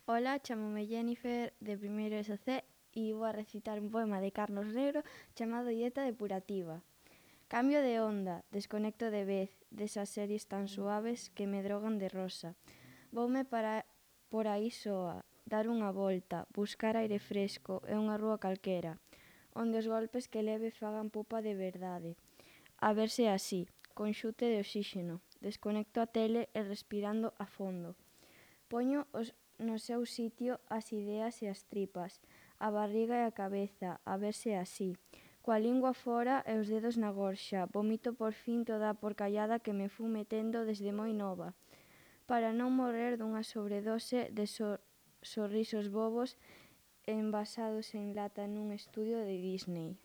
Ola, chamome Jennifer de primeiro SC e vou a recitar un poema de Carlos Negro chamado Dieta depurativa. Cambio de onda, desconecto de vez desas series tan suaves que me drogan de rosa. Voume para por aí soa, dar unha volta, buscar aire fresco e unha rúa calquera, onde os golpes que leve fagan pupa de verdade. A verse así, con xute de oxíxeno, desconecto a tele e respirando a fondo. Poño no seu sitio as ideas e as tripas, a barriga e a cabeza, a verse así. Coa lingua fora e os dedos na gorxa, vomito por fin toda a porcallada que me fun metendo desde moi nova, para non morrer dunha sobredose de sorrisos bobos envasados en lata nun estudio de Disney.